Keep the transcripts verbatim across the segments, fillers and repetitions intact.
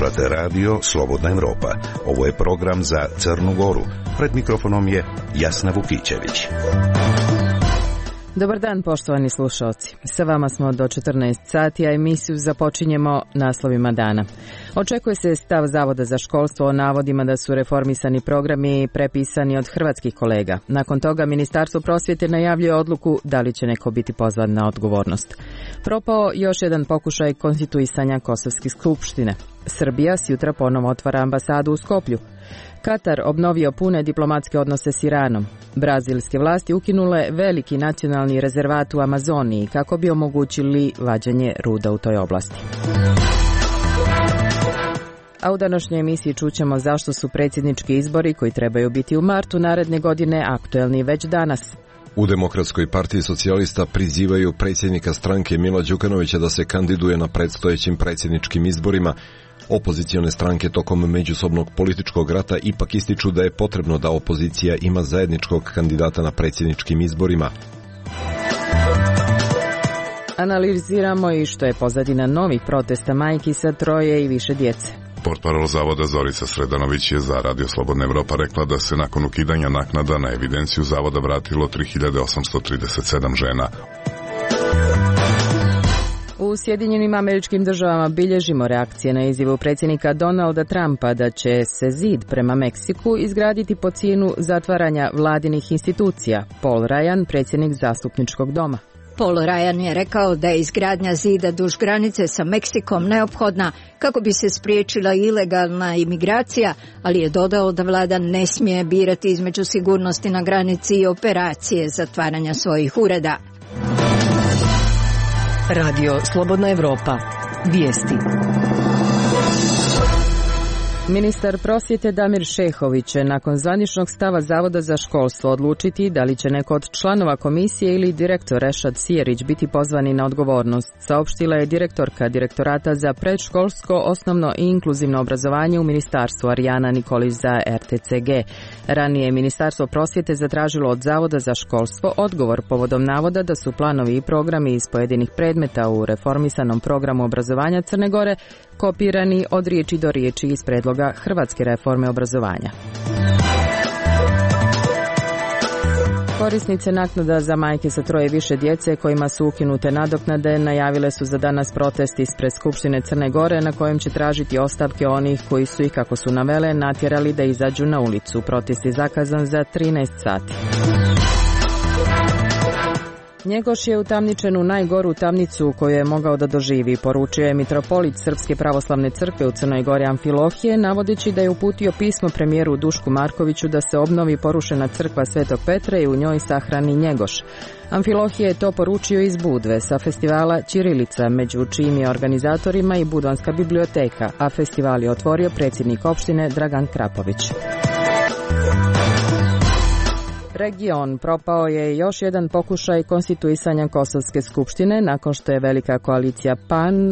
Slušate radio Slobodna Evropa. Ovo je program za Crnu Goru. Pred mikrofonom je Jasna Vukićević. Dobar dan, poštovani slušalci. Sa vama smo do četrnaest sati, a emisiju započinjemo naslovima dana. Očekuje se stav Zavoda za školstvo o navodima da su reformisani programi prepisani od hrvatskih kolega. Nakon toga Ministarstvo prosvjete najavljuje odluku da li će neko biti pozvan na odgovornost. Propao još jedan pokušaj konstituisanja Kosovske skupštine. Srbija sjutra ponovo otvara ambasadu u Skoplju. Katar obnovio pune diplomatske odnose s Iranom. Brazilske vlasti ukinule veliki nacionalni rezervat u Amazoniji kako bi omogućili vađenje ruda u toj oblasti. A u današnjoj emisiji čućemo zašto su predsjednički izbori koji trebaju biti u martu naredne godine aktuelni već danas. U Demokratskoj partiji socijalista prizivaju predsjednika stranke Mila Đukanovića da se kandiduje na predstojećim predsjedničkim izborima. Opozicione stranke tokom međusobnog političkog rata ipak ističu da je potrebno da opozicija ima zajedničkog kandidata na predsjedničkim izborima. Analiziramo i što je pozadina novih protesta majki sa troje i više djece. Portparol Zavoda Zorica Sredanović je za Radio Slobodna Evropa rekla da se nakon ukidanja naknada na evidenciju Zavoda vratilo tri hiljade osamsto trideset sedam žena. U Sjedinjenim Američkim Državama bilježimo reakcije na izjavu predsjednika Donalda Trumpa da će se zid prema Meksiku izgraditi po cijenu zatvaranja vladinih institucija. Paul Ryan, predsjednik Zastupničkog doma. Paul Ryan je rekao da je izgradnja zida duž granice sa Meksikom neophodna kako bi se spriječila ilegalna imigracija, ali je dodao da vlada ne smije birati između sigurnosti na granici i operacije zatvaranja svojih ureda. Radio Slobodna Evropa. Vijesti. Ministar prosvjete Damir Šehović će nakon zvaničnog stava Zavoda za školstvo odlučiti da li će neko od članova komisije ili direktor Rešad Sijerić biti pozvani na odgovornost, saopštila je direktorka Direktorata za predškolsko, osnovno i inkluzivno obrazovanje u ministarstvu Arijana Nikolić za R T C G. Ranije je Ministarstvo prosvjete zatražilo od Zavoda za školstvo odgovor povodom navoda da su planovi i programi iz pojedinih predmeta u reformisanom programu obrazovanja Crne Gore kopirani od riječi do riječi iz predloga Hrvatske reforme obrazovanja. Korisnice naknada za majke sa troje više djece kojima su ukinute nadoknade najavile su za danas protest ispred Skupštine Crne Gore na kojem će tražiti ostavke onih koji su ih, kako su navele, natjerali da izađu na ulicu. Protest je zakazan za trinaest sati. Njegoš je utamničen u najgoru tamnicu koju je mogao da doživi, poručio je mitropolit Srpske pravoslavne crkve u Crnoj Gori Amfilohije, navodeći da je uputio pismo premijeru Dušku Markoviću da se obnovi porušena crkva Svetog Petra i u njoj sahrani Njegoš. Amfilohije je to poručio iz Budve sa festivala Ćirilica, među čijim je organizatorima i Budvanska biblioteka, a festival je otvorio predsjednik opštine Dragan Krapović. Region. Propao je još jedan pokušaj konstituisanja Kosovske skupštine nakon što je velika koalicija P A N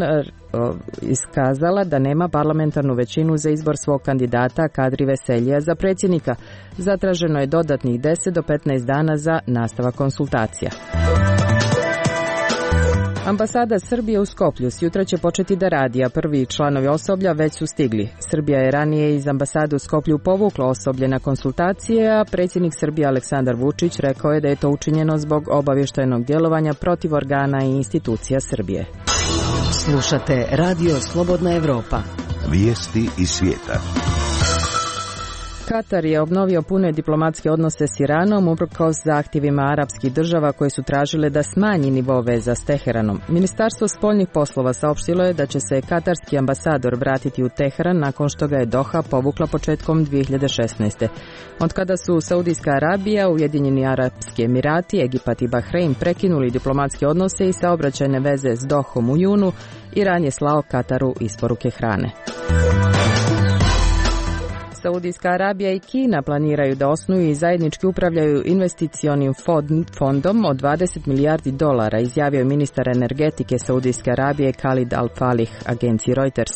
iskazala da nema parlamentarnu većinu za izbor svog kandidata Kadri Veseljija za predsjednika. Zatraženo je dodatnih deset do petnaest dana za nastavak konsultacija. Ambasada Srbije u Skoplju sjutra će početi da radi, a prvi članovi osoblja već su stigli. Srbija je ranije iz ambasade u Skoplju povukla osoblje na konsultacije, a predsjednik Srbije Aleksandar Vučić rekao je da je to učinjeno zbog obavještajnog djelovanja protiv organa i institucija Srbije. Slušate Radio Slobodna Evropa. Vijesti iz svijeta. Katar je obnovio pune diplomatske odnose s Iranom uprkos zahtjevima arapskih država koje su tražile da smanji nivo veza s Teheranom. Ministarstvo spoljnih poslova saopštilo je da će se katarski ambasador vratiti u Teheran nakon što ga je Doha povukla početkom dvije hiljade šesnaeste. Od kada su Saudijska Arabija, Ujedinjeni Arapski Emirati, Egipat i Bahrein prekinuli diplomatske odnose i saobraćajne veze s Dohom u junu, Iran je slao Kataru isporuke hrane. Saudijska Arabija i Kina planiraju da osnuju i zajednički upravljaju investicionim fondom od dvadeset milijardi dolara, izjavio je ministar energetike Saudijske Arabije Khalid Al-Falih agenciji Reuters.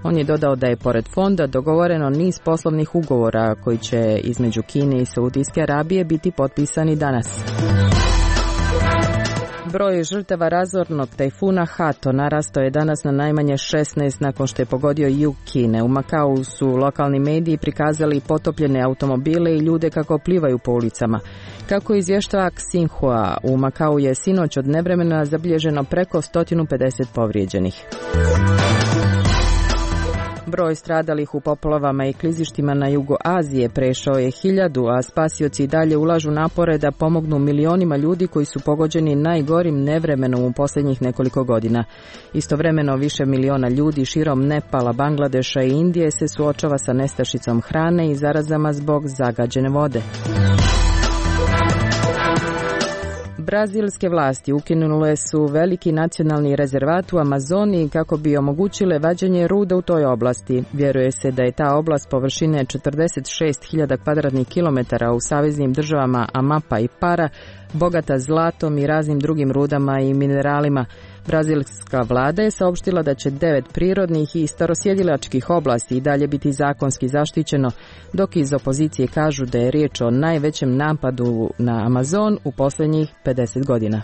On je dodao da je pored fonda dogovoreno niz poslovnih ugovora koji će između Kine i Saudijske Arabije biti potpisani danas. Broj žrtava razornog tajfuna Hato narastao je danas na najmanje šesnaest nakon što je pogodio jug Kine. U Makau su lokalni mediji prikazali potopljene automobile i ljude kako plivaju po ulicama. Kako izvještava Xinhua, u Makau je sinoć od nevremena zabilježeno preko sto pedeset povrijeđenih. Broj stradalih u poplavama i klizištima na jugu Azije prešao je hiljadu, a spasioci dalje ulažu napore da pomognu milionima ljudi koji su pogođeni najgorim nevremenom u posljednjih nekoliko godina. Istovremeno više miliona ljudi širom Nepala, Bangladeša i Indije se suočava sa nestašicom hrane i zarazama zbog zagađene vode. Brazilske vlasti ukinule su veliki nacionalni rezervat u Amazoniji kako bi omogućile vađenje ruda u toj oblasti. Vjeruje se da je ta oblast površine četrdeset šest hiljada kvadratnih kilometara u saveznim državama Amapa i Para bogata zlatom i raznim drugim rudama i mineralima. Brazilska vlada je saopštila da će devet prirodnih i starosjedilačkih oblasti i dalje biti zakonski zaštićeno, dok iz opozicije kažu da je riječ o najvećem napadu na Amazon u posljednjih pedeset godina.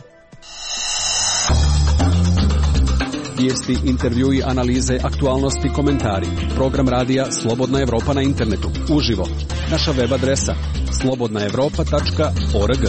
Vijesti, intervjui, analize, aktualnosti, komentari. Program radija Slobodna Evropa na internetu. Uživo. Naša web adresa slobodna evropa tačka org.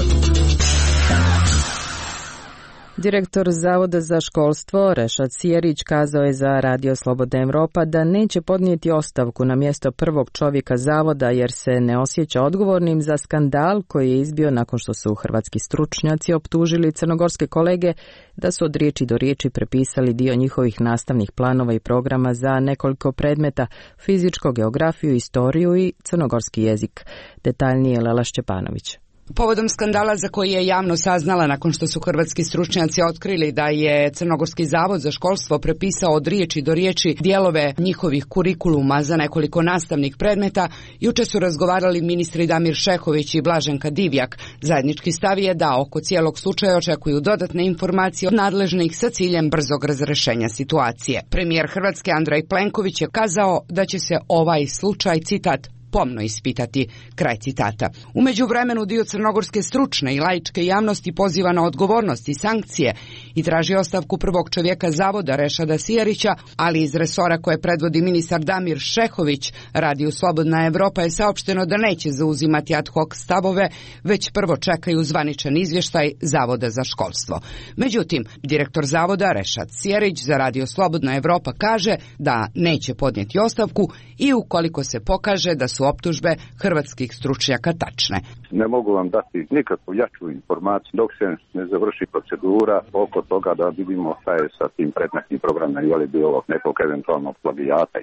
Direktor Zavoda za školstvo Rešad Sijerić kazao je za Radio Slobodna Evropa da neće podnijeti ostavku na mjesto prvog čovjeka zavoda jer se ne osjeća odgovornim za skandal koji je izbio nakon što su hrvatski stručnjaci optužili crnogorske kolege da su od riječi do riječi prepisali dio njihovih nastavnih planova i programa za nekoliko predmeta: fizičko, geografiju, istoriju i crnogorski jezik. Detaljnije Lela Šćepanović. Povodom skandala za koji je javno saznala nakon što su hrvatski stručnjaci otkrili da je Crnogorski zavod za školstvo prepisao od riječi do riječi dijelove njihovih kurikuluma za nekoliko nastavnih predmeta, juče su razgovarali ministri Damir Šehović i Blaženka Divjak. Zajednički stav je da oko cijelog slučaja očekuju dodatne informacije od nadležnih sa ciljem brzog razrešenja situacije. Premijer Hrvatske Andrej Plenković je kazao da će se ovaj slučaj, citat, pomno ispitati, kraj citata. U međuvremenu dio crnogorske stručne i laičke javnosti poziva na odgovornost i sankcije i traži ostavku prvog čovjeka zavoda Rešada Sijerića, ali iz resora koje predvodi ministar Damir Šehović, Radio Slobodna Evropa je saopšteno da neće zauzimati ad hoc stavove, već prvo čekaju zvaničan izvještaj Zavoda za školstvo. Međutim, direktor zavoda Rešad Sijerić za Radio Slobodna Evropa kaže da neće podnijeti ostavku i ukoliko se pokaže da su optužbe hrvatskih stručnjaka tačne. Ne mogu vam dati nikakvu jaču informaciju dok se ne završi procedura oko toga da vidimo šta je sa tim predmetnim programom i je li bilo nekog eventualnog plagijata.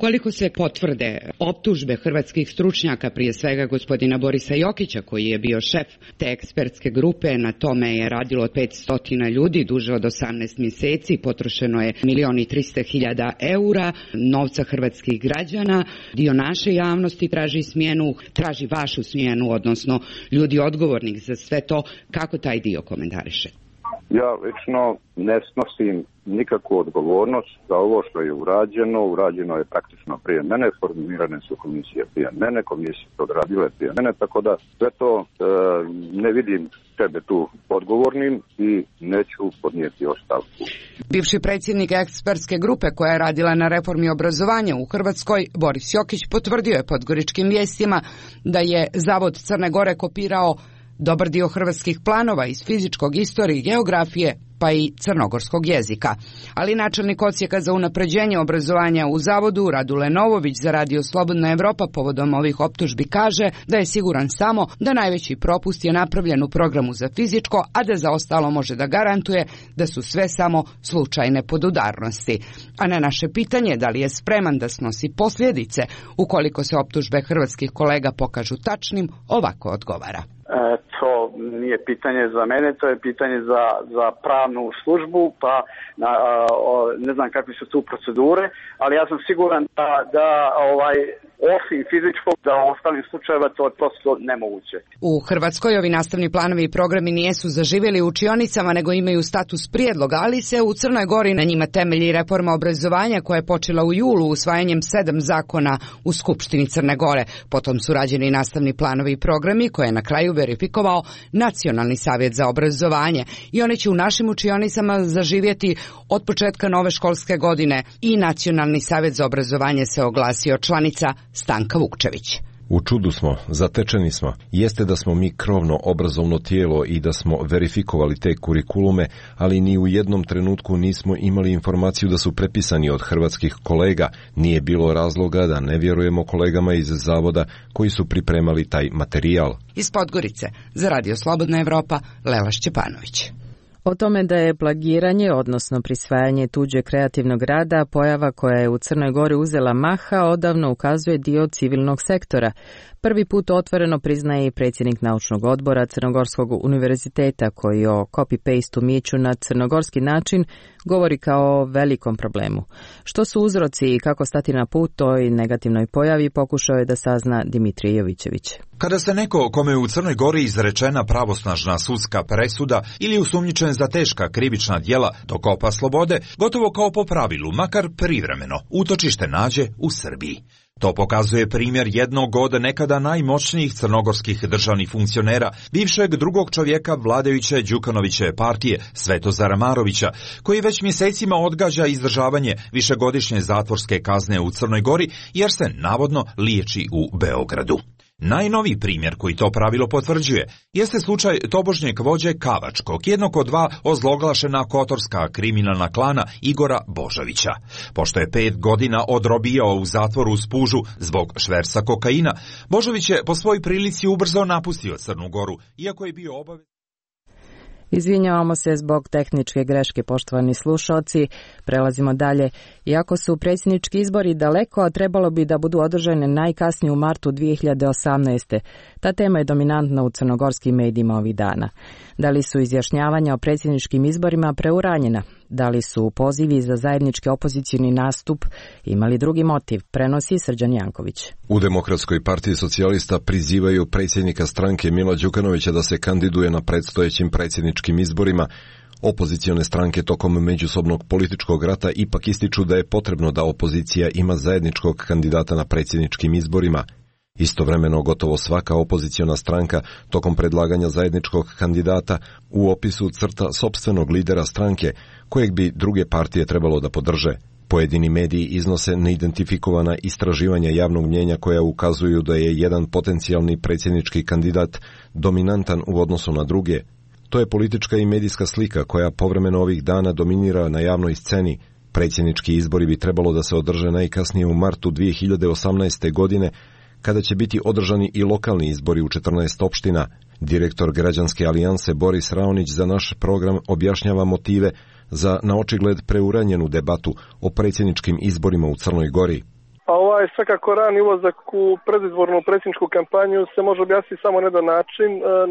Koliko se potvrde optužbe hrvatskih stručnjaka, prije svega gospodina Borisa Jokića koji je bio šef te ekspertske grupe, na tome je radilo petsto ljudi duže od osamnaest mjeseci, potrošeno je milion i tristo hiljada eura novca hrvatskih građana, dio naše javnosti traži smjenu, traži vašu smjenu, odnosno ljudi odgovornih za sve to. Kako taj dio komentariše? Ja lično ne snosim nikakvu odgovornost za ovo što je urađeno. Urađeno je praktično prije mene, formirane su komisije prije mene, komisije su odradile prije mene, tako da sve to e, ne vidim sebe tu odgovornim i neću podnijeti ostavku. Bivši predsjednik ekspertske grupe koja je radila na reformi obrazovanja u Hrvatskoj, Boris Jokić, potvrdio je Podgoričkim vijestima da je Zavod Crne Gore kopirao dobar dio hrvatskih planova iz fizičkog, istorije, geografije pa i crnogorskog jezika. Ali načelnik odsjeka za unapređenje obrazovanja u zavodu Radule Novović za Radio Slobodna Evropa povodom ovih optužbi kaže da je siguran samo da najveći propust je napravljen u programu za fizičko, a da za ostalo može da garantuje da su sve samo slučajne podudarnosti. A na naše pitanje da li je spreman da snosi posljedice ukoliko se optužbe hrvatskih kolega pokažu tačnim, ovako odgovara. E, to nije pitanje za mene, to je pitanje za, za pravnu službu, pa na, o, ne znam kakve su tu procedure, ali ja sam siguran da, da ovaj, osim fizičkog, da u ostalim slučajeva to je prosto nemoguće. U Hrvatskoj ovi nastavni planovi i programi nijesu zaživjeli u učionicama, nego imaju status prijedloga, ali se u Crnoj Gori na njima temelji reforma obrazovanja koja je počela u julu usvajanjem sedam zakona u Skupštini Crne Gore. Potom su rađeni nastavni planovi i programi koje je na kraju verifikovao Nacionalni savjet za obrazovanje i one će u našim učionicama zaživjeti od početka nove školske godine. I Nacionalni savjet za obrazovanje se oglasio, članica Stanka Vukčević. U čudu smo, zatečeni smo. Jeste da smo mi krovno obrazovno tijelo i da smo verifikovali te kurikulume, ali ni u jednom trenutku nismo imali informaciju da su prepisani od hrvatskih kolega. Nije bilo razloga da ne vjerujemo kolegama iz zavoda koji su pripremali taj materijal. Iz Podgorice, za Radio Slobodna Evropa, Lela Šćepanović. O tome da je plagiranje, odnosno prisvajanje tuđe kreativnog rada, pojava koja je u Crnoj Gori uzela maha, odavno ukazuje dio civilnog sektora. Prvi put otvoreno priznaje i predsjednik naučnog odbora Crnogorskog univerziteta, koji o copy-paste umijeću na crnogorski način govori kao o velikom problemu. Što su uzroci i kako stati na put toj negativnoj pojavi, pokušao je da sazna Dimitrije Jovićević. Kada se neko kome je u Crnoj Gori izrečena pravosnažna sudska presuda ili usumnjičen za teška krivična djela dokopa slobode, gotovo kao po pravilu, makar privremeno, utočište nađe u Srbiji. To pokazuje primjer jednog od nekada najmoćnijih crnogorskih državnih funkcionera, bivšeg drugog čovjeka vladajuće Đukanovićeve partije, Svetozara Marovića, koji već mjesecima odgađa izdržavanje višegodišnje zatvorske kazne u Crnoj Gori, jer se navodno liječi u Beogradu. Najnoviji primjer koji to pravilo potvrđuje jeste slučaj tobožnjeg vođe Kavačkog, jednog od dva ozloglašena kotorska kriminalna klana Igora Božovića. Pošto je pet godina odrobijao u zatvoru u Spužu zbog šverca kokaina, Božović je po svojoj prilici ubrzo napustio Crnu Goru, iako je bio obavezan. Izvinjavamo se zbog tehničke greške, poštovani slušalci. Prelazimo dalje. Iako su predsjednički izbori daleko, a trebalo bi da budu održane najkasnije u martu dvije hiljade osamnaeste. Ta tema je dominantna u crnogorskim medijima ovih dana. Da li su izjašnjavanja o predsjedničkim izborima preuranjena? Da li su pozivi za zajednički opozicioni nastup imali drugi motiv? Prenosi Srđan Janković. U Demokratskoj partiji socijalista prizivaju predsjednika stranke Mila Đukanovića da se kandiduje na predstojećim predsjedničkim izborima. Opozicione stranke tokom međusobnog političkog rata ipak ističu da je potrebno da opozicija ima zajedničkog kandidata na predsjedničkim izborima. Istovremeno gotovo svaka opoziciona stranka tokom predlaganja zajedničkog kandidata u opisu crta sopstvenog lidera stranke kojeg bi druge partije trebalo da podrže. Pojedini mediji iznose neidentifikovana istraživanja javnog mnjenja koja ukazuju da je jedan potencijalni predsjednički kandidat dominantan u odnosu na druge. To je politička i medijska slika koja povremeno ovih dana dominira na javnoj sceni. Predsjednički izbori bi trebalo da se održe najkasnije u martu dvije hiljade osamnaeste. godine, kada će biti održani i lokalni izbori u četrnaest opština. Direktor Građanske alijanse Boris Raonić za naš program objašnjava motive za na očigled preuranjenu debatu o predsjedničkim izborima u Crnoj Gori. A ovaj svakako rani ulazak u predizbornu predsjedničku kampanju se može objasniti samo na jedan način.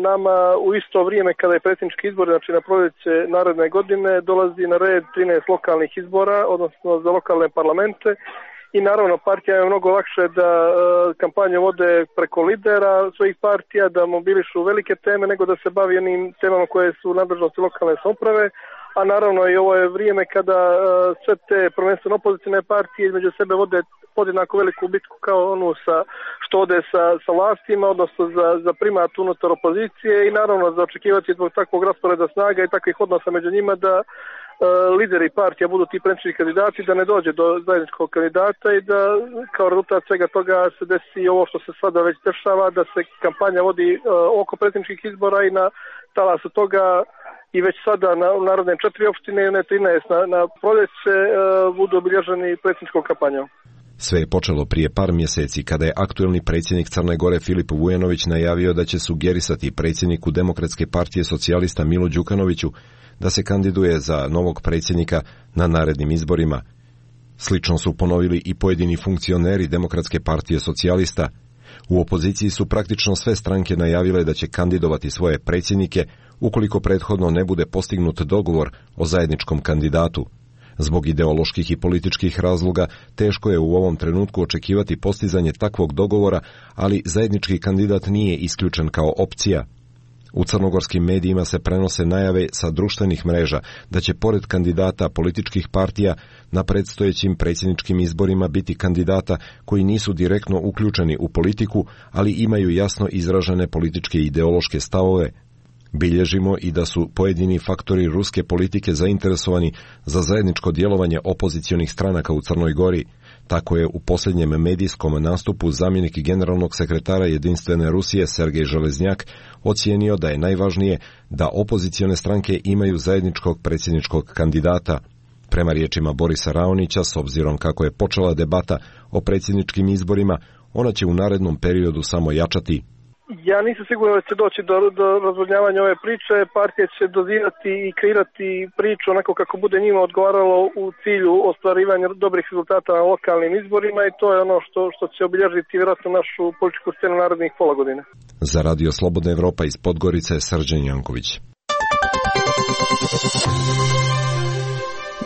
Nama u isto vrijeme kada je predsjednički izbor, znači na proljeće naredne godine, dolazi na red trinaest lokalnih izbora, odnosno za lokalne parlamente. I naravno partija je mnogo lakše da e, kampanje vode preko lidera svojih partija, da mobilišu velike teme nego da se bavi onim temama koje su u nadležnosti lokalne samouprave, a naravno i ovo je vrijeme kada e, sve te prvenstveno opozicione partije između sebe vode podjednako veliku bitku kao onu sa, što ode sa, sa vlastima, odnosno za, za primat unutar opozicije i naravno za očekivati zbog takvog rasporeda snaga i takvih odnosa među njima da lideri partija budu ti predsjednički kandidati, da ne dođe do zajedničkog kandidata i da kao rezultat svega toga se desi ovo što se sada već dešava, da se kampanja vodi uh, oko predsjedničkih izbora i na talasu toga i već sada na narodne četiri opštine i ne trinaest na, na proljeće uh, budu obilježeni predsjedničkom kampanjom. Sve je počelo prije par mjeseci kada je aktuelni predsjednik Crne Gore Filip Vujanović najavio da će sugerisati predsjedniku Demokratske partije socijalista Milu Đukanoviću da se kandiduje za novog predsjednika na narednim izborima. Slično su ponovili i pojedini funkcioneri Demokratske partije socijalista. U opoziciji su praktično sve stranke najavile da će kandidovati svoje predsjednike ukoliko prethodno ne bude postignut dogovor o zajedničkom kandidatu. Zbog ideoloških i političkih razloga teško je u ovom trenutku očekivati postizanje takvog dogovora, ali zajednički kandidat nije isključen kao opcija. U crnogorskim medijima se prenose najave sa društvenih mreža da će pored kandidata političkih partija na predstojećim predsjedničkim izborima biti kandidata koji nisu direktno uključeni u politiku, ali imaju jasno izražene političke i ideološke stavove. Bilježimo i da su pojedini faktori ruske politike zainteresovani za zajedničko djelovanje opozicionih stranaka u Crnoj Gori. Tako je u posljednjem medijskom nastupu zamjenik generalnog sekretara Jedinstvene Rusije Sergej Železnjak ocijenio da je najvažnije da opozicione stranke imaju zajedničkog predsjedničkog kandidata. Prema riječima Borisa Raonića, s obzirom kako je počela debata o predsjedničkim izborima, ona će u narednom periodu samo jačati. Ja nisam siguran da će doći do, do razvodnjavanja ove priče. Partije će dozirati i kreirati priču onako kako bude njima odgovaralo u cilju ostvarivanja dobrih rezultata na lokalnim izborima i to je ono što, što će obilježiti vjerojatno našu političku scenu narednih pola godine. Za Radio Slobodna Evropa iz Podgorice, Srđan Janković.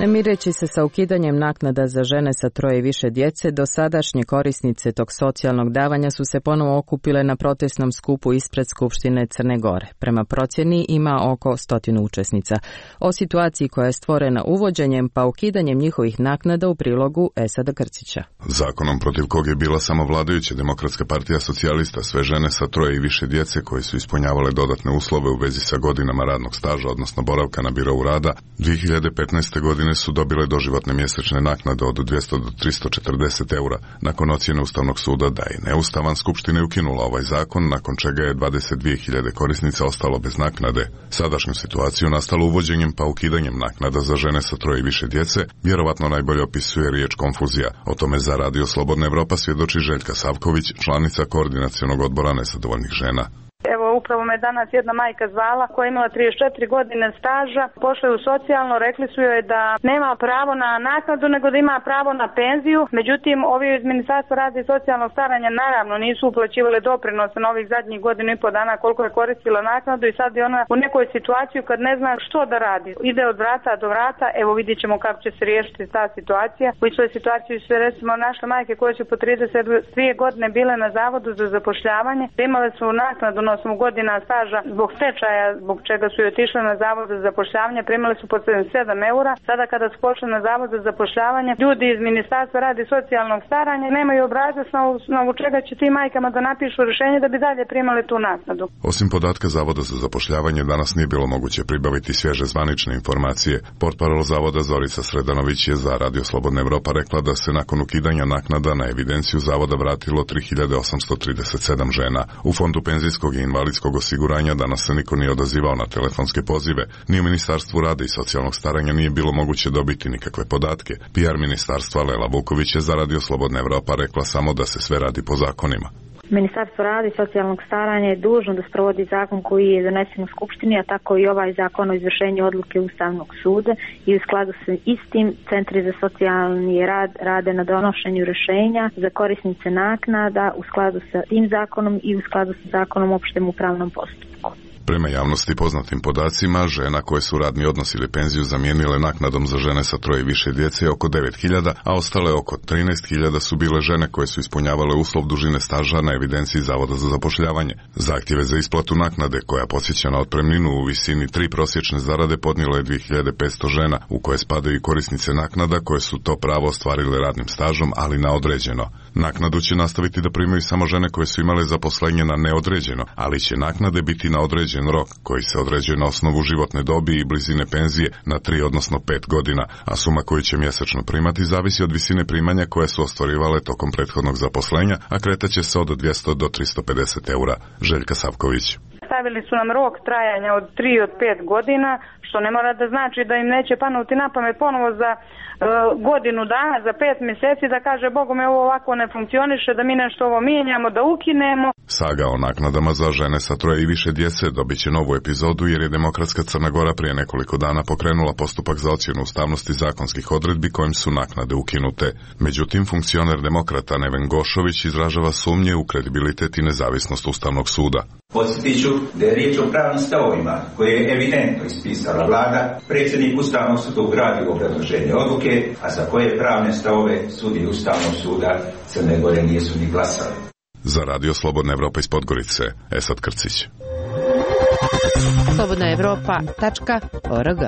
Ne mireći se sa ukidanjem naknada za žene sa troje i više djece, dosadašnje korisnice tog socijalnog davanja su se ponovo okupile na protestnom skupu ispred Skupštine Crne Gore. Prema procjeni ima oko stotinu učesnica. O situaciji koja je stvorena uvođenjem pa ukidanjem njihovih naknada u prilogu Esada Krcića. Zakonom protiv kog je bila samo vladajuća Demokratska partija socijalista, sve žene sa troje i više djece koje su ispunjavale dodatne uslove u vezi sa godinama radnog staža, odnosno boravka na birovu rada, dvije hiljade petnaeste. godine su dobile doživotne mjesečne naknade od dvjesto do tristo četrdeset eura. Nakon ocjene Ustavnog suda da je neustavan, Skupština je ukinula ovaj zakon, nakon čega je dvadeset dvije hiljade korisnica ostalo bez naknade. Sadašnju situaciju nastalu uvođenjem pa ukidanjem naknada za žene sa troje i više djece vjerovatno najbolje opisuje riječ konfuzija. O tome za Radio Slobodna Evropa svjedoči Željka Savković, članica koordinacionog odbora nezadovoljnih žena. Evo, upravo me danas jedna majka zvala koja je imala trideset četiri godine staža, pošla je u socijalno, rekli su joj da nema pravo na naknadu nego da ima pravo na penziju. Međutim, ovi iz Ministarstva rada i socijalnog staranja naravno nisu uplaćivali doprinose na ovih zadnjih godinu i po dana koliko je koristila naknadu i sad je ona u nekoj situaciji kad ne zna što da radi. Ide od vrata do vrata, evo vidjet ćemo kako će se riješiti ta situacija. U istoj situaciji su recimo naše majke koje su po trideset dvije godine bile na zavodu za zapošljavanje, imale su naknadu na osam godina staža zbog stečaja, zbog čega su joj otišle na zavod za zapošljavanje, primali su po sedamdesijet sedam eura. Sada kada su pošli na zavod za zapošljavanje, ljudi iz Ministarstva rada i socijalnog staranja nemaju obrazac na osnovu čega će tim majkama da napišu rješenje da bi dalje primali tu naknadu. Osim podatka Zavoda za zapošljavanje, danas nije bilo moguće pribaviti svježe zvanične informacije. Portparol Zavoda Zorica Sredanović je za Radio Slobodna Evropa rekla da se nakon ukidanja naknada na evidenciju Zavoda vratilo tri hiljade osamsto trideset sedam žena. U Fondu penzijskog i invalidskog osiguranja danas se niko nije odazivao na telefonske pozive, ni u Ministarstvu rada i socijalnog staranja nije bilo moguće dobiti nikakve podatke. P R ministarstva Lela Vuković je za Radio Slobodna Evropa rekla samo da se sve radi po zakonima. Ministarstvo rada i socijalnog staranja je dužno da sprovodi zakon koji je donesen u Skupštini, a tako i ovaj zakon o izvršenju odluke Ustavnog suda i u skladu sa istim centri za socijalni rad rade na donošenju rješenja za korisnice naknada u skladu sa tim zakonom i u skladu sa zakonom o opštem upravnom postupku. Prema javnosti poznatim podacima, žena koje su radni odnos ili penziju zamijenile naknadom za žene sa troje i više djece je oko devet hiljada, a ostale oko trinaest hiljada su bile žene koje su ispunjavale uslov dužine staža na evidenciji Zavoda za zapošljavanje. Zahtjeve za isplatu naknade, koja podsjeća na otpremninu u visini tri prosječne zarade, podnijelo je dvije hiljade petsto žena, u koje spadaju i korisnice naknada koje su to pravo ostvarile radnim stažom, ali na određeno. Naknadu će nastaviti da primaju samo žene koje su imale zaposlenje na neodređeno, ali će naknade biti na određen rok, koji se određuje na osnovu životne dobi i blizine penzije na tri odnosno pet godina, a suma koju će mjesečno primati zavisi od visine primanja koje su ostvarivale tokom prethodnog zaposlenja, a kretaće se od dvjesto do tristo pedeset eura. Željka Savković. Stavili su nam rok trajanja od tri od pet godina, što ne mora da znači da im neće panuti na pamet ponovo za e, godinu dana, za pet mjeseci da kaže Bogu me ovo ovako ne funkcioniše, da mi nešto ovo mijenjamo, da ukinemo. Saga o naknadama za žene sa troje i više djece dobit će novu epizodu jer je Demokratska Crna Gora prije nekoliko dana pokrenula postupak za ocjenu ustavnosti zakonskih odredbi kojim su naknade ukinute. Međutim, funkcioner demokrata Neven Gošović izražava sumnje u kredibilitet i nezavisnost Ustavnog suda. Podsjetit ću da je riječ o pravnim stavovima koje je evidentno ispisala vlada, predsjednik Ustavnog suda ugradio obrazloženje odluke, a za koje pravne stavove sudi Ustavnog suda Crne Gore nisu ni glasali. Za Radio Slobodna Evropa iz Podgorice, Esad Krcić. slobodna evropa tačka org.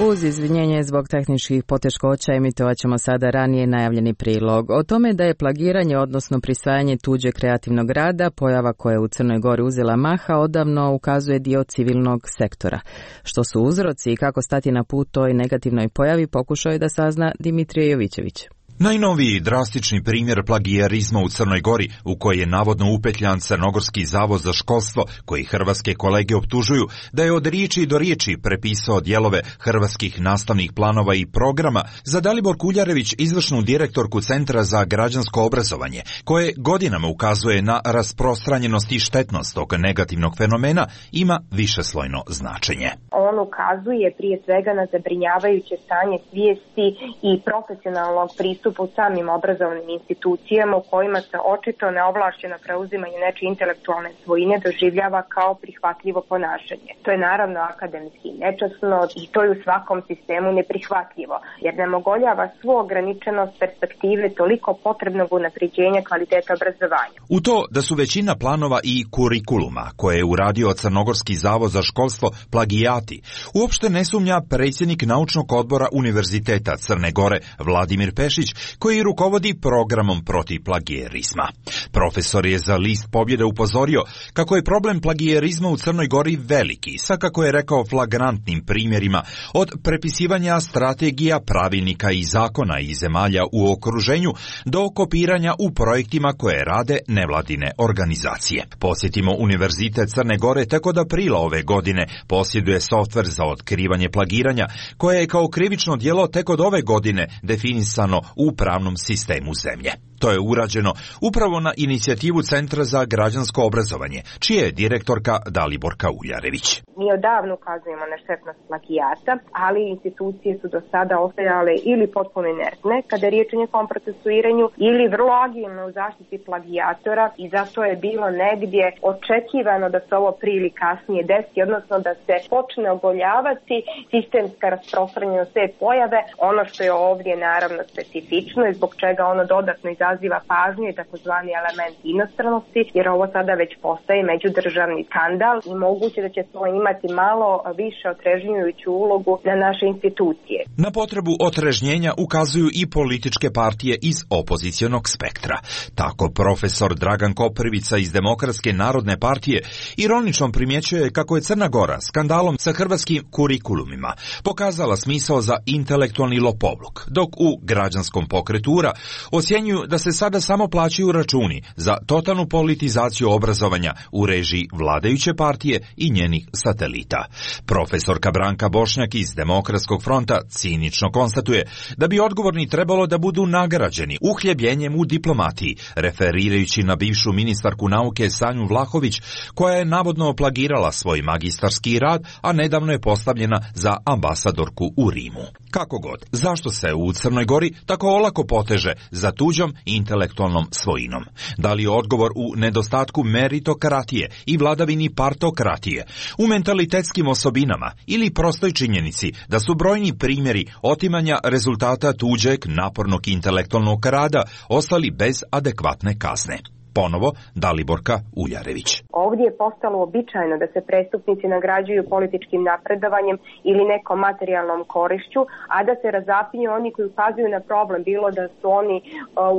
Uz izvinjenje zbog tehničkih poteškoća emitovat ćemo sada ranije najavljeni prilog. O tome da je plagiranje, odnosno prisvajanje tuđeg kreativnog rada, pojava koja je u Crnoj Gori uzela maha, odavno ukazuje dio civilnog sektora. Što su uzroci i kako stati na put toj negativnoj pojavi, pokušao je da sazna Dimitrije Jovićević. Najnoviji drastični primjer plagijarizma u Crnoj Gori, u koji je navodno upetljan Crnogorski zavod za školstvo, koji hrvatske kolege optužuju da je od riječi do riječi prepisao dijelove hrvatskih nastavnih planova i programa, za Dalibor Kuljarević, izvršnu direktorku Centra za građansko obrazovanje, koje godinama ukazuje na rasprostranjenost i štetnost tog negativnog fenomena, ima višeslojno značenje. On ukazuje prije svega na zabrinjavajuće stanje svijesti i profesionalnog pristupa u samim obrazovnim institucijama u kojima se očito neovlašćeno preuzimanje nečije intelektualne svojine doživljava kao prihvatljivo ponašanje. To je naravno akademski nečasno i to je u svakom sistemu neprihvatljivo, jer nam ogoljava svu ograničenost perspektive toliko potrebnog unapređenja kvaliteta obrazovanja. U to da su većina planova i kurikuluma koje je uradio Crnogorski zavod za školstvo plagijati, uopšte ne sumnja predsjednik naučnog odbora Univerziteta Crne Gore Vladimir Pešić, koji rukovodi programom protiv plagijerizma. Profesor je za List Pobjede upozorio kako je problem plagijerizma u Crnoj Gori veliki, sa, kako je rekao, flagrantnim primjerima od prepisivanja strategija, pravilnika i zakona iz zemalja u okruženju do kopiranja u projektima koje rade nevladine organizacije. Posjetimo Univerzitet Crne Gore tek od aprila ove godine posjeduje softver za otkrivanje plagiranja, koje je kao krivično djelo tek od ove godine definisano u pravnom sistemu zemlje. To je urađeno upravo na inicijativu Centra za građansko obrazovanje, čija je direktorka Daliborka Uljarević. Mi odavno ukazujemo na štetnost plagijata, ali institucije su do sada ostajale ili potpuno inertne kada je riječ o njihovom procesuiranju, ili vrlo agilne u zaštiti plagijatora, i zato je bilo negdje očekivano da se ovo prije ili kasnije desi, odnosno da se počne ogoljavati sistemska rasprostranjenost te pojave. Ono što je ovdje naravno specifično i zbog čega ono dodatno izaziva pažnju je takozvani element inostranosti, jer ovo sada već postaje međudržavni skandal i moguće da će to imati malo više otrežnjujuću ulogu na naše institucije. Na potrebu otrežnjenja ukazuju i političke partije iz opozicionog spektra. Tako profesor Dragan Koprivica iz Demokratske narodne partije ironično primjećuje kako je Crna Gora skandalom sa hrvatskim kurikulumima pokazala smisao za intelektualni lopovluk, dok u građanskom pokretura ocjenjuju da se sada samo plaćaju računi za totalnu politizaciju obrazovanja u režiji vladajuće partije i njenih satelita. Profesorka Branka Bošnjak iz Demokratskog fronta cinično konstatuje da bi odgovorni trebalo da budu nagrađeni uhljebljenjem u diplomatiji, referirajući na bivšu ministarku nauke Sanju Vlahović, koja je navodno plagirala svoj magistarski rad, a nedavno je postavljena za ambasadorku u Rimu. Kako god, zašto se u Crnoj Gori tako olako poteže za tuđom intelektualnom svojinom? Da li je odgovor u nedostatku meritokratije i vladavini partokratije, u mentalitetskim osobinama ili prostoj činjenici da su brojni primjeri otimanja rezultata tuđeg napornog intelektualnog rada ostali bez adekvatne kazne? Ponovo Daliborka Uljarević. Ovdje je postalo običajno da se prestupnici nagrađuju političkim napredovanjem ili nekom materijalnom korišću, a da se razapinju oni koji ukazuju na problem, bilo da su oni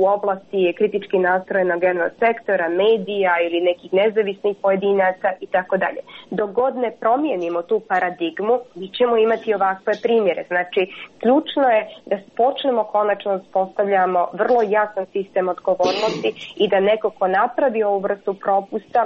u oblasti kritički nastrojenog jednog sektora, medija ili nekih nezavisnih pojedinaca i tako dalje. Dok god ne promijenimo tu paradigmu, mi ćemo imati ovakve primjere. Znači, ključno je da počnemo konačno uspostavljamo vrlo jasan sistem odgovornosti i da neko ko napravi ovu vrstu propusta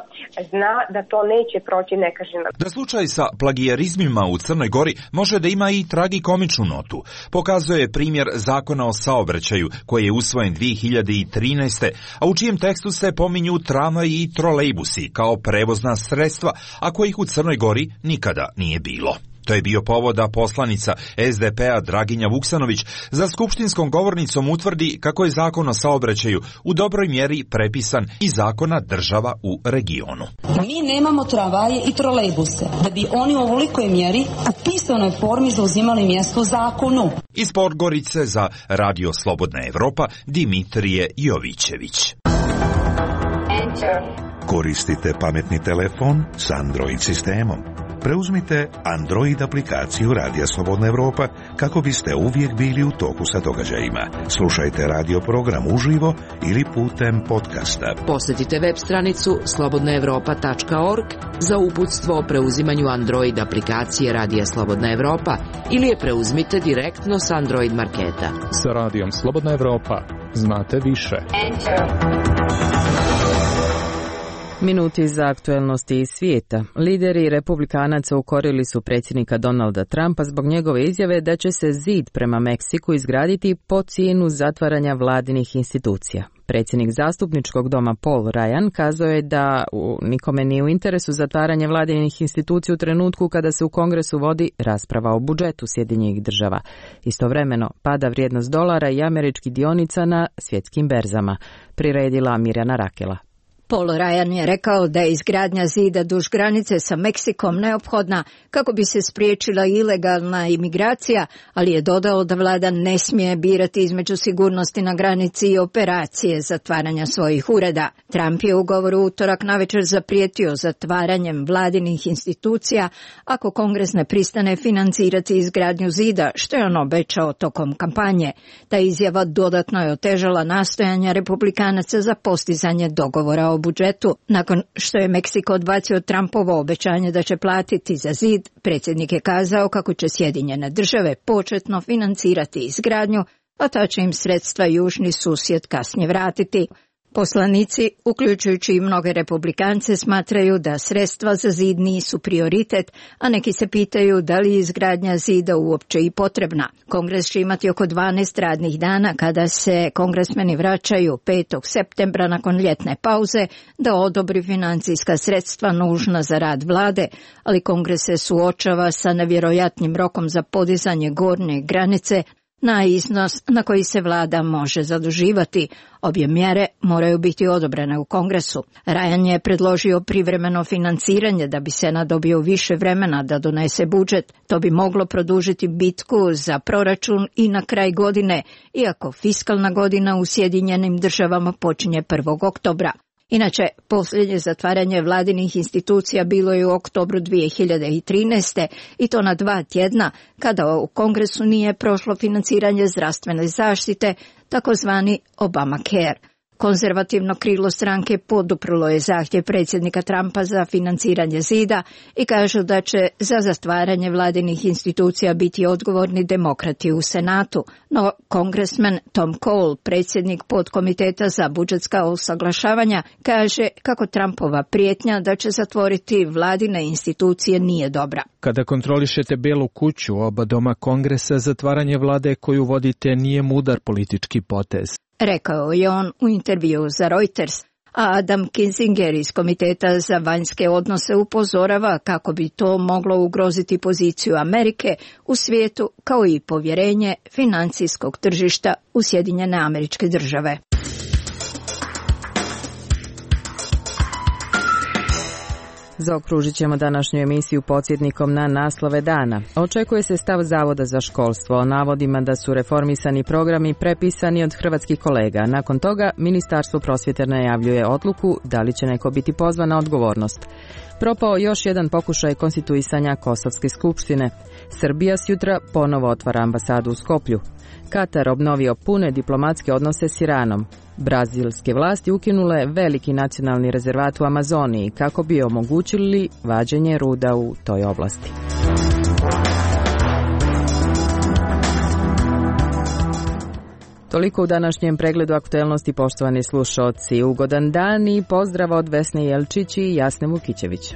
zna da to neće proći nekažnjeno. Da slučaj sa plagijarizmima u Crnoj Gori može da ima i tragikomičnu notu, pokazuje primjer Zakona o saobraćaju koji je usvojen dvije hiljade trinaeste. a u čijem tekstu se pominju tramvaji i trolejbusi kao prevozna sredstva, a kojih u Crnoj Gori nikada nije bilo. To je bio povod da poslanica es de pe a Draginja Vuksanović za skupštinskom govornicom utvrdi kako je Zakon o saobraćaju u dobroj mjeri prepisan iz zakona država u regionu. Mi nemamo tramvaje i trolejbuse da bi oni u ovolikoj mjeri u pisanoj formi zauzimali mjesto u zakonu. Iz Podgorice za Radio Slobodna Evropa Dimitrije Jovićević. Koristite pametni telefon s Android sistemom. Preuzmite Android aplikaciju Radija Slobodna Evropa kako biste uvijek bili u toku sa događajima. Slušajte radio program uživo ili putem podcasta. Posjetite web stranicu slobodna evropa tačka org za uputstvo o preuzimanju Android aplikacije Radija Slobodna Evropa ili je preuzmite direktno s Android marketa. Sa Radijom Slobodna Evropa znate više. Minuti za aktuelnosti iz svijeta. Lideri republikanaca ukorili su predsjednika Donalda Trumpa zbog njegove izjave da će se zid prema Meksiku izgraditi po cijenu zatvaranja vladinih institucija. Predsjednik zastupničkog doma Paul Ryan kazao je da u, nikome nije u interesu zatvaranje vladinih institucija u trenutku kada se u Kongresu vodi rasprava o budžetu Sjedinjenih država. Istovremeno pada vrijednost dolara i američkih dionica na svjetskim berzama, priredila Mirjana Rakela. Paul Ryan je rekao da je izgradnja zida duž granice sa Meksikom neophodna kako bi se spriječila ilegalna imigracija, ali je dodao da vlada ne smije birati između sigurnosti na granici i operacije zatvaranja svojih ureda. Trump je u govoru utorak navečer zaprijetio zatvaranjem vladinih institucija ako Kongres ne pristane financirati izgradnju zida, što je on obećao tokom kampanje. Ta izjava dodatno je otežala nastojanja republikanaca za postizanje dogovora o budžetu. Nakon što je Meksiko odbacio Trumpovo obećanje da će platiti za zid, predsjednik je kazao kako će Sjedinjene države početno financirati izgradnju, a ta će im sredstva južni susjed kasnije vratiti. Poslanici, uključujući i mnoge republikance, smatraju da sredstva za zid nisu prioritet, a neki se pitaju da li je izgradnja zida uopće i potrebna. Kongres će imati oko dvanaest radnih dana kada se kongresmeni vraćaju petog septembra nakon ljetne pauze da odobri financijska sredstva nužna za rad vlade, ali Kongres se suočava sa nevjerojatnim rokom za podizanje gornje granice na iznos na koji se vlada može zaduživati. Obje mjere moraju biti odobrene u Kongresu. Ryan je predložio privremeno financiranje da bi Senat dobio više vremena da donese budžet. To bi moglo produžiti bitku za proračun i na kraj godine, iako fiskalna godina u Sjedinjenim državama počinje prvog oktobra. Inače, posljednje zatvaranje vladinih institucija bilo je u oktobru dvije hiljade trinaeste i to na dva tjedna, kada u Kongresu nije prošlo financiranje zdravstvene zaštite, takozvani Obamacare. Konzervativno krilo stranke poduprlo je zahtjev predsjednika Trumpa za financiranje zida i kažu da će za zatvaranje vladinih institucija biti odgovorni demokrati u Senatu. No, kongresmen Tom Cole, predsjednik podkomiteta za budžetska usaglašavanja, kaže kako Trumpova prijetnja da će zatvoriti vladine institucije nije dobra. Kada kontrolišete Belu kuću, oba doma Kongresa, zatvaranje vlade koju vodite nije mudar politički potez, rekao je on u intervjuu za Reuters, a Adam Kinzinger iz Komiteta za vanjske odnose upozorava kako bi to moglo ugroziti poziciju Amerike u svijetu kao i povjerenje financijskog tržišta u Sjedinjene Američke Države. Zaokružit ćemo današnju emisiju podsjetnikom na naslove dana. Očekuje se stav Zavoda za školstvo o navodima da su reformisani programi prepisani od hrvatskih kolega. Nakon toga Ministarstvo prosvjete najavljuje odluku da li će neko biti pozvan na odgovornost. Propao još jedan pokušaj konstituisanja Kosovske skupštine. Srbija sjutra ponovo otvara ambasadu u Skoplju. Katar obnovio pune diplomatske odnose s Iranom. Brazilske vlasti ukinule veliki nacionalni rezervat u Amazoniji kako bi omogućili vađenje ruda u toj oblasti. Toliko u današnjem pregledu aktuelnosti, poštovani slušaoci. Ugodan dan i pozdrav od Vesne Jelčić i Jasne Vukićević.